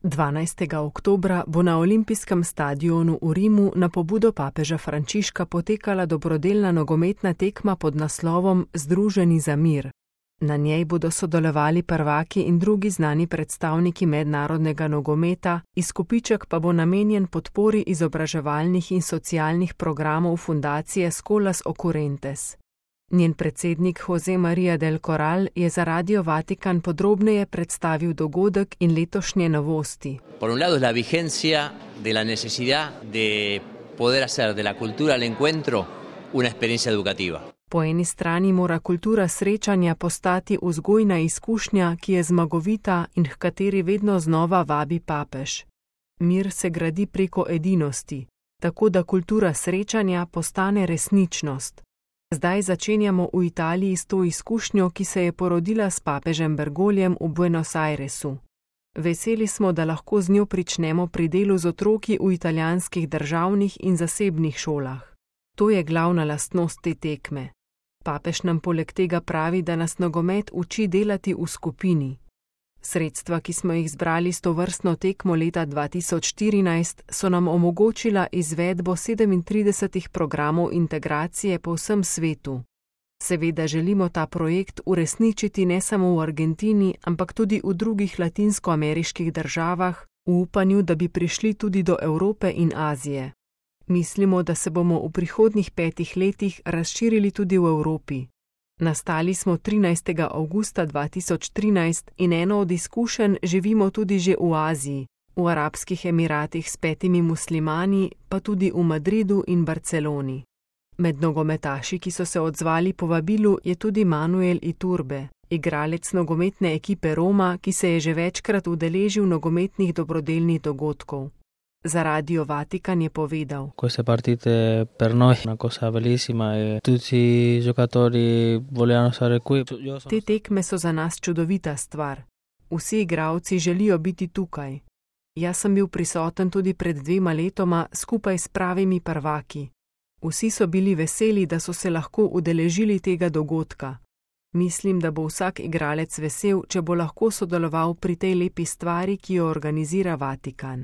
12. oktobra bo na olimpijskem stadionu v Rimu na pobudo papeža Frančiška potekala dobrodelna nogometna tekma pod naslovom Združeni za mir. Na njej bodo sodelovali prvaki in drugi znani predstavniki mednarodnega nogometa, izkupiček pa bo namenjen podpori izobraževalnih in socialnih programov fundacije Escolas Occurrentes. Njen predsednik José María del Corral je za Radio Vatikan podrobneje predstavil dogodek in letošnje novosti. Por un lado es la vigencia de la necesidad de poder hacer de la cultura al encuentro una experiencia educativa. Po eni strani mora kultura srečanja postati vzgojna izkušnja, ki je zmagovita in h kateri vedno znova vabi papež. Mir se gradi preko edinosti, tako da kultura srečanja postane resničnost. Zdaj začenjamo v Italiji s to izkušnjo, ki se je porodila s papežem Bergoljem v Buenos Airesu. Veseli smo, da lahko z njo pričnemo pri delu z otroki v italijanskih državnih in zasebnih šolah. To je glavna lastnost te tekme. Papež nam poleg tega pravi, da nas nogomet uči delati v skupini. Sredstva, ki smo jih zbrali s tovrstno tekmo leta 2014, so nam omogočila izvedbo 37 programov integracije po vsem svetu. Seveda želimo ta projekt uresničiti ne samo v Argentini, ampak tudi v drugih latinskoameriških državah, v upanju, da bi prišli tudi do Evrope in Azije. Mislimo, da se bomo v prihodnjih 5 letih razširili tudi v Evropi. Nastali smo 13. avgusta 2013 in eno od izkušenj živimo tudi že v Aziji, v Arabskih Emiratih s 5 muslimani, pa tudi v Madridu in Barceloni. Med nogometaši, ki so se odzvali povabilu, je tudi Manuel Iturbe, igralec nogometne ekipe Roma, ki se je že večkrat udeležil nogometnih dobrodelnih dogodkov. Za Radio Vatikan je povedal: Queste partite per noi una cosa bellissima e tutti i giocatori vogliono stare qui. Te tekme so za nas čudovita stvar. Vsi igralci želijo biti tukaj. Jaz sem bil prisoten tudi pred 2 letoma skupaj s pravimi prvaki. Vsi so bili veseli, da so se lahko udeležili tega dogodka. Mislim, da bo vsak igralec vesel, če bo lahko sodeloval pri tej lepi stvari, ki jo organizira Vatikan.